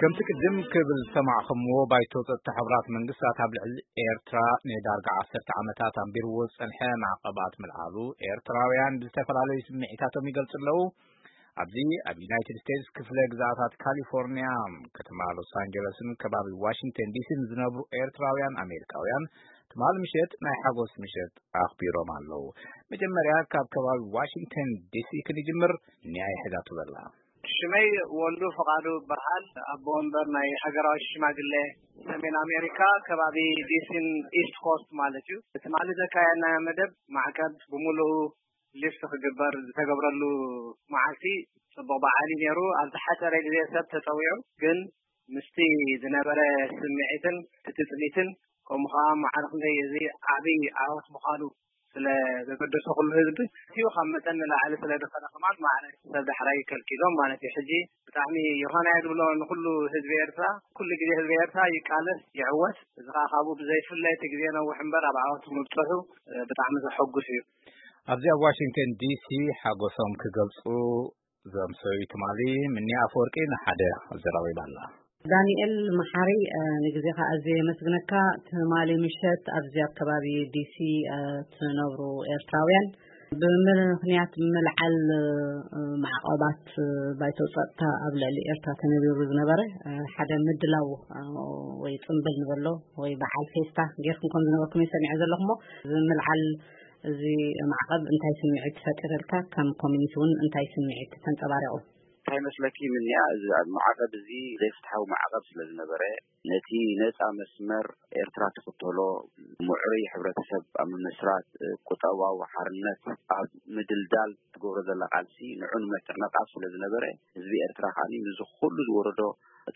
ከምቲ ቅድም ክብል ዝሰማዕኹምዎ፣ ባይቶ ጸጥታ ሕቡራት መንግስታት ኣብ ልዕሊ ኤርትራ ንዳርጋ ዓሰርተ ዓመታት ኣንቢርዎ ዝጸንሐ ማዕቐባት ምልዓሉ፣ ኤርትራውያን ብዝተፈላለዩ ስምዒታቶም ይገልጹ ኣለዉ። ኣብዚ ኣብ ዩናይትድ ስቴትስ ክፍለ ግዛኣታት ካሊፎርኒያ፣ ከተማ ሎስ ኣንጀለስን ከባቢ ዋሽንግተን ዲሲን ዝነብሩ ኤርትራውያን ኣሜሪካውያን፣ ትማሊ ምሸት ናይ ሓጎስ ምሸት ኣኽቢሮም ኣለዉ። መጀመርያ ካብ ከባቢ ዋሽንግተን ዲሲ ክንጅምር፣ ኒያ ይሕዛቱ ዘላ። ሽመይ ወልዱ ፍቓዱ ይበሃል። ኣቦ ወንበር ናይ ሃገራዊ ሽማግሌ ሰሜን ኣሜሪካ፣ ከባቢ ዲሲን ኢስት ኮስት ማለት እዩ። ትማሊ ዘካየድናዮ መደብ፣ ማዕቀብ ብምሉኡ ሊፍት ክግበር ዝተገብረሉ መዓልቲ፣ ጽቡቕ በዓል እዩ ነይሩ። ኣብ ዝሓጸረ ግዜ ሰብ ተጸዊዑ፣ ግን ምስቲ ዝነበረ ስምዒትን ትጽቢትን፣ ከምኡ ኸዓ ማዕረ ክንደይ እዚ ዓቢ ዓወት ምዃኑ ስለ ዘገደሶ ኩሉ ህዝቢ፣ እቲ ካብ መጠን ንላዕሊ ስለ ዝኾነ ከማን ማዕረ ሰብ ዳሕራይ ከልኪሎም ማለት እዩ። ሕጂ ብጣዕሚ ዮሃና እየ ዝብሎ ንኹሉ ህዝቢ ኤርትራ። ኩሉ ግዜ ህዝቢ ኤርትራ ይቃለስ፣ ይዕወት። እዚ ኸዓ ካብኡ ብዘይፍለ እቲ ግዜ ነውሕ እምበር ኣብ ዓወት ምብጽሑ፣ እ፣ ብጣዕሚ ዘሐጉስ እዩ። ኣብዚ ኣብ ዋሽንግተን ዲሲ ሓጎሶም ክገልጹ ዘምሰዩ ትማሊ ምኒ ኣፈወርቂ ንሓደ ኣዘራሪባ ኣላ። ዳንኤል መሓሪ፣ እ፣ ንግዜኻ ኣዝየ የመስግነካ። ትማሊ ምሸት ኣብዚ ኣብ ከባቢ ዲሲ፣ እ፣ ትነብሩ ኤርትራውያን ብምኽንያት ምልዓል፣ እ፣ ማዕቐባት፣ እ፣ ባይቶ ጸጥታ ኣብ ልዕሊ ኤርትራ ተነቢሩ ዝነበረ፣ እ፣ ሓደ ምድላው፣ እ፣ ወይ ጽምብል ንበሎ ወይ በዓል ፌስታ ጌርኩም ከም ዝነበርኩም እየ ሰሚዐ ዘለኹ። እሞ እዚ ምልዓል እዚ ማዕቐብ እንታይ ስምዒት ፈጢርልካ ከም ኮሚኒቲ እውን እንታይ ስምዒት ተንጸባሪቑ? እንታይ መስለኪ ምንያ፣ እዚ ኣብ ማዕቐብ እዚ ዘይፍትሓዊ ማዕቐብ ስለ ዝነበረ፣ ነቲ ነጻ መስመር ኤርትራ ትኽተሎ ምዕሩይ ሕብረተሰብ ኣብ ምምስራት፣ ቁጠባዊ ሓርነት ኣብ ምድልዳል ትገብሮ ዘላ ቃልሲ ንዑ ንምዕንቓፍ ስለ ዝነበረ፣ ህዝቢ ኤርትራ ከኣ ምስዚ ኩሉ ዝወረዶ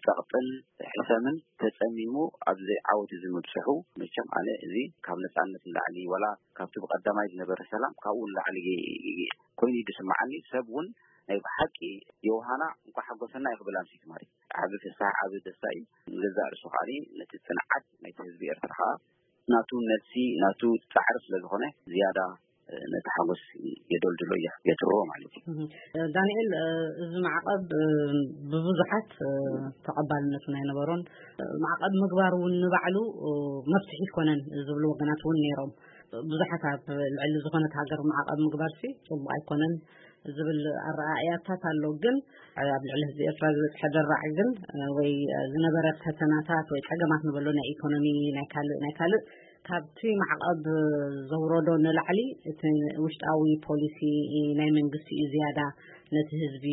ጸቕጥን ሕሰምን ተጸሚሙ ኣብዚ ዓወት እዚ ምብጽሑ፣ መቸም ኣነ እዚ ካብ ነጻነት ንላዕሊ፣ ዋላ ካብቲ ብቐዳማይ ዝነበረ ሰላም ካብኡ ንላዕሊ ኮይኑ እዩ ዝስምዓኒ። ሰብ እውን ናይ ብሓቂ ዮሃና እንኳዕ ሓጎሰና እዩ ክብል ኣምሲቲ ማለት እዩ። ዓቢ ፍስሓ፣ ዓቢ ደስታ እዩ። ንገዛእ ርእሱ ከኣ ነቲ ጽንዓት ናይቲ ህዝቢ ኤርትራ ከኣ ናቱ ነብሲ፣ ናቱ ጻዕሪ ስለ ዝኾነ ዝያዳ ነቲ ሓጎስ የደልድሎ፣ የትርዎ ማለት እዩ። እህ፣ ዳንኤል፣ እ፣ እዚ ማዕቐብ፣ እ፣ ብብዙሓት፣ እ፣ ተቐባልነት ናይ ነበሮን፣ እ፣ ማዕቐብ ምግባር እውን ንባዕሉ፣ እ፣ መፍትሒ ኣይኮነን ዝብሉ ወገናት እውን ነይሮም። ብዙሓት ኣብ ልዕሊ ዝኾነት ሃገር ማዕቐብ ምግባርሲ ጽቡቕ ኣይኮነን ዝብል ኣረኣእያታት ኣሎ። ግን ኣብ ልዕሊ ህዝቢ ኤርትራ ዝበጽሐ ደራዕ ግን፣ እ፣ ወይ፣ እ፣ ዝነበረ ፈተናታት ወይ ጸገማት ንበሎ ናይ ኢኮኖሚ፣ ናይ ካልእ፣ ናይ ካልእ ካብቲ ማዕቐብ ዘውረዶ ንላዕሊ እቲ ውሽጣዊ ፖሊሲ ናይ መንግስቲ እዩ ዝያዳ ነቲ ህዝቢ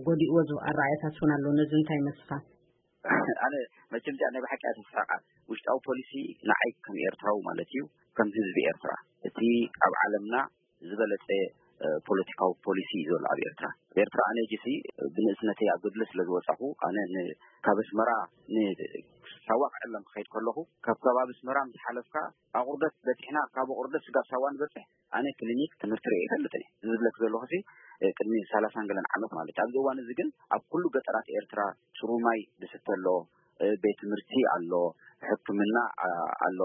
ጎዲእዎ ዝብል ኣረኣእያታት እውን ኣሎ። ነዚ እንታይ ይመስልካ? ኣነ መቸም እዚኣ ናይ ብሓቂ እያ ተስሕቓ። ውሽጣዊ ፖሊሲ ንዓይ ከም ኤርትራዊ ማለት እዩ፣ ከም ህዝቢ ኤርትራ፣ እቲ ኣብ ዓለምና ዝበለጸ፣ እ፣ ፖለቲካዊ ፖሊሲ እዩ ዘሎ ኣብ ኤርትራ። ኣብ ኤርትራ ኣነ ጅሲ ብንእስነተይ ኣብ ገድሊ ስለ ዝወጻኹ፣ ኣነ ን-፣ ካብ ኣስመራ ንሳዋ ክዕለም ክኸይድ ከለኹ፣ ካብ ከባቢ ኣስመራ ምስ ሓለፍካ ኣቑርደት በጺሕና፣ ካብ ኣቑርደት ስጋብ ሳዋ ንበጽሕ፣ ኣነ ክሊኒክ ትምህርቲ ርእየ ኣይፈልጥን እየ። እዚ ዝብለክ ዘለኹ ሲ፣ እ፣ ቅድሚ ሰላሳን ገለን ዓመት ማለት እዩ። ኣብዚ እዋን እዚ ግን ኣብ ኩሉ ገጠራት ኤርትራ ጽሩይ ማይ ዝስተ ኣሎ፣ እ፣ ቤት ትምህርቲ ኣሎ፣ ሕክምና፣ አ-፣ ኣሎ፣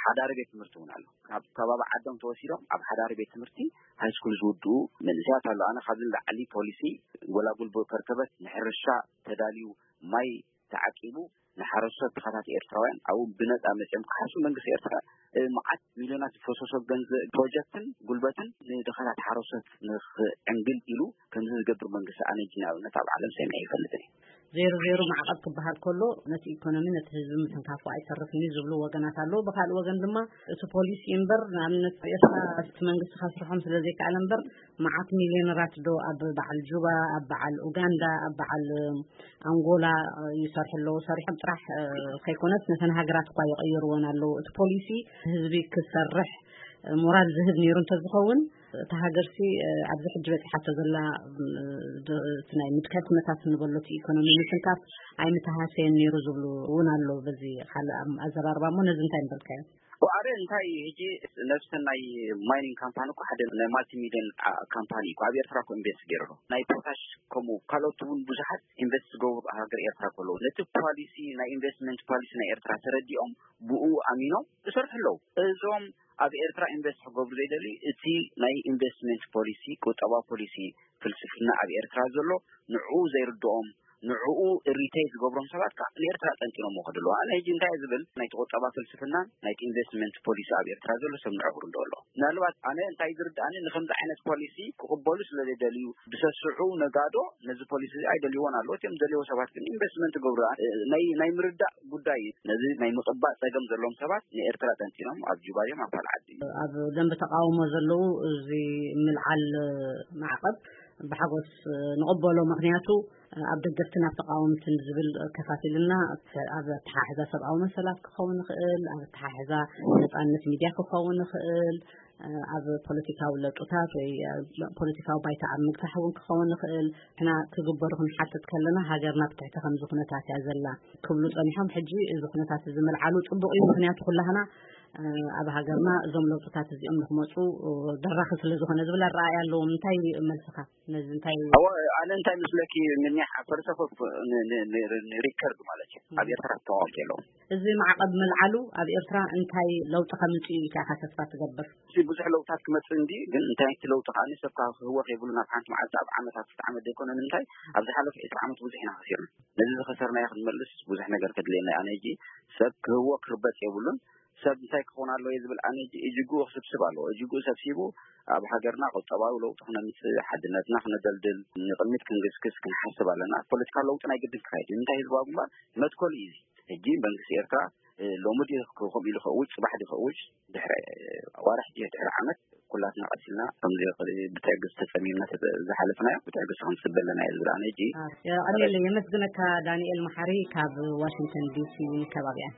ሓዳሪ ቤት ትምህርቲ እውን ኣሎ። ካብ ከባቢ ዓዶም ተወሲዶም ኣብ ሓዳሪ ቤት ትምህርቲ ሃይስኩል ዝውድኡ መንእሰያት ኣሎ። ኣነ ካብዚ ንላዕሊ ፖሊሲ ጎላጉል ከርከበት ንሕርሻ ተዳልዩ ማይ ተዓቂቡ ንሓረስቶት ድኻታት ኤርትራውያን ኣብኡ ብነጻ መጺኦም ክሓርሱ መንግስቲ ኤርትራ፣ እ፣ መዓት ሚልዮናት ዝፈሰሶ ገንዘብ ፕሮጀክትን ጉልበትን ንድኻታት ሓረስቶት ንኽዕንግል ኢሉ ከምዚ ዝገብር መንግስቲ ኣነ እጂ ንኣብነት ኣብ ዓለም ሰሚዐ ኣይፈልጥን እየ። ዜሮ ዜሮ ማዕቐብ ክበሃል ከሎ ነቲ ኢኮኖሚ ነቲ ህዝቢ ምትንካፉ ኣይተርፍን እዩ ዝብሉ ወገናት ኣለዉ። ብኻልእ ወገን ድማ እቲ ፖሊሲ እምበር ንኣብነት ኤርትራ እቲ መንግስቲ ከስርሖም ስለ ዘይከኣለ እምበር መዓት ሚልዮነራት ዶ ኣብ በዓል ጁባ፣ ኣብ በዓል ኡጋንዳ፣ ኣብ በዓል ኣንጎላ ይሰርሑ ኣለዉ። ሰሪሖም ጥራሕ፣ እ፣ ከይኮነስ ነተን ሃገራት እኳ ይቕይርወን ኣለዉ። እቲ ፖሊሲ ህዝቢ ክሰርሕ ሞራል ዝህብ ነይሩ እንተዝኸውን፣ እታ ሃገርሲ፣ እ፣ ኣብዚ ሕጂ በጺሓቶ ዘላ፣ እ፣ ድ-፣ እቲ ናይ ምድካይ ኩነታት ንበሎ እቲ ኢኮኖሚ ምትንካፍ ኣይምተሃሰየን ነይሩ ዝብሉ እውን ኣሎ። በዚ ካልእ ኣም-፣ ኣዘራርባ እሞ ነዚ እንታይ ምበልካዮ? ኣረ እንታይ ሕጂ ነብሰን ናይ ማይኒንግ ካምፓኒ እኮ ሓደ ናይ ማልቲ ሚልዮን፣ አ፣ ካምፓኒ እኮ ኣብ ኤርትራ እኮ ኢንቨስት ገይሩ ኣሎ። ናይ ፖታሽ ከምኡ ካልኦት እውን ብዙሓት ኢንቨስት ዝገብሩ ሃገር ኤርትራ እኮ ኣለዉ። ነቲ ፖሊሲ ናይ ኢንቨስትመንት ፖሊሲ ናይ ኤርትራ ተረዲኦም ብኡ ኣሚኖም ይሰርሑ ኣለዉ። እዞም ኣብ ኤርትራ ኢንቨስት ክገብሩ ዘይደልዩ እቲ ናይ ኢንቨስትመንት ፖሊሲ፣ ቁጠባ ፖሊሲ፣ ፍልስፍና ኣብ ኤርትራ ዘሎ ንዕኡ ዘይርድኦም ንዕኡ ሪቴት ዝገብሮም ሰባት ከዓ ንኤርትራ ጠንጢኖም ከደለዉ። ኣነ ሕጂ እንታይ ዝብል ናይቲ ቁጠባ ፍልስፍናን ናይቲ ኢንቨስትመንት ፖሊሲ ኣብ ኤርትራ ዘሎ ሰብ ንዕቑር እንዶ ኣሎ። ምናልባት ኣነ እንታይ ዝርድኣኒ ንከምዚ ዓይነት ፖሊሲ ክቕበሉ ስለ ዘይደልዩ ብሰስዑ ነጋዶ ነዚ ፖሊሲ እዚ ኣይደልይዎን ኣለዉ። እቲኦም ዝደልይዎ ሰባት ግን ኢንቨስትመንት ይገብሩ። ናይ ናይ ምርዳእ ጉዳይ እዩ። ነዚ ናይ ምቕባእ ጸገም ዘለዎም ሰባት ንኤርትራ ጠንጢኖም ኣብ ጁባ እዮም ኣብ ካልእ ዓዲ እዩ። ኣብ ደንበ ተቃውሞ ዘለዉ እዚ ምልዓል ማዕቐብ ብሓጎስ ንቕበሎ። ምኽንያቱ ኣብ ደገፍትን ኣብ ተቃወምትን ዝብል ከፋፊልና ኣብ ኣተሓሕዛ ሰብኣዊ መሰላት ክኸውን ይኽእል፣ ኣብ ኣተሓሕዛ ነጻነት ሚድያ ክኸውን ይኽእል፣ ኣብ ፖለቲካዊ ለውጥታት ወይ ፖለቲካዊ ባይታ ኣብ ምግታሕ እውን ክኸውን ይኽእል። ንሕና ክግበሩ ክንሓትት ከለና ሃገርና ብትሕቲ ከምዚ ኩነታት እያ ዘላ ክብሉ ጸኒሖም። ሕጂ እዚ ኩነታት እዚ ምልዓሉ ጽቡቕ እዩ፣ ምኽንያቱ ኩላህና ኣብ ሃገርና እዞም ለውጥታት እዚኦም ንክመፁ ደራኺ ስለ ዝኾነ ዝብል ኣረኣእያ ኣለዎም። እንታይ መልስኻ ነዚ? እንታይ ኣነ እንታይ ምስለኪ ምንያሕ ፈርሰ ሪከርድ ማለት እዩ ኣብ ኤርትራ ተቃወምቲ ኣለዎም። እዚ ማዕቐብ ምልዓሉ ኣብ ኤርትራ እንታይ ለውጢ ከምፅእ እዩ ኢልካ ተስፋ ትገብር? ብዙሕ ለውጥታት ክመፅእ እንዲ ግን እንታይ እቲ ለውጢ ከዓ ሰብ ካብ ክህወ ከይብሉ ናብ ሓንቲ መዓልቲ ኣብ ዓመት ኣብ ክልተ ዓመት ዘይኮነ ንምንታይ ኣብ ዝሓለፈ ዕስራ ዓመት ብዙሕ ኢና ከሲርና። ነዚ ዝኸሰርናዮ ክንመልስ ብዙሕ ነገር ከድልየና። ኣነ ሕጂ ሰብ ክህወ ክርበፅ የብሉን። ሰብ እንታይ ክኸውን ኣለዎ ዝብል ኣነ ሕጂ እጅግኡ ክስብስብ ኣለዎ። እጅግኡ ሰብሲቡ ኣብ ሃገርና ቁጠባዊ ለውጢ ክነምፅእ፣ ሓድነትና ክነደልድል፣ ንቅድሚት ክንግስግስ ክንሓስብ ኣለና። ፖለቲካዊ ለውጢ ናይ ግድን ክካየድ እዩ። እንታይ ህዝባዊ ግንባር መትከሉ እዩ። እዚ ሕጂ መንግስቲ ኤርትራ ሎሚ ድዩ ከምኡ ኢሉ ከእውጅ፣ ፅባሕ ድዩ ከእውጅ፣ ድሕሪ ኣዋርሕ ድዩ ድሕሪ ዓመት ኩላትና ቀሲልና ከምዚ ብትዕግስቲ ተጸሚምና ዝሓለፍናዮ ብትዕግስቲ ክንጽበ ኣለና እየ ዝብል ኣነ ሕጂ። የቐንየለይ፣ የመስግነካ ዳንኤል መሓሪ ካብ ዋሽንግተን ዲሲ ከባቢኣን።